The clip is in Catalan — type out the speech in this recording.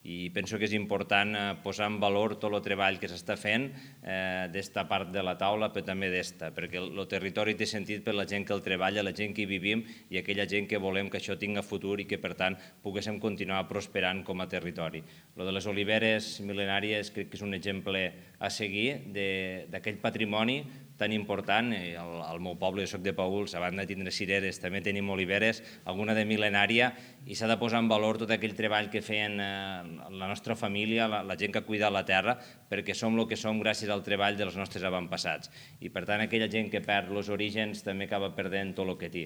i penso que és important posar en valor tot el treball que s'està fent d'esta part de la taula, però també d'esta, perquè el territori té sentit per la gent que el treballa, la gent que hi vivim i aquella gent que volem que això tingui futur i que, per tant, poguéssim continuar prosperant com a territori. Lo de les oliveres mil·lenàries crec que és un exemple a seguir d'aquell patrimoni tan important. Al meu poble, jo soc de Paüls, a banda de tindre cireres, també tenim oliveres, alguna de mil·lenària, i s'ha de posar en valor tot aquell treball que feien la nostra família, la gent que ha cuidat la terra, perquè som el que som gràcies al treball dels nostres avantpassats. I, per tant, aquella gent que perd els orígens també acaba perdent tot el que té.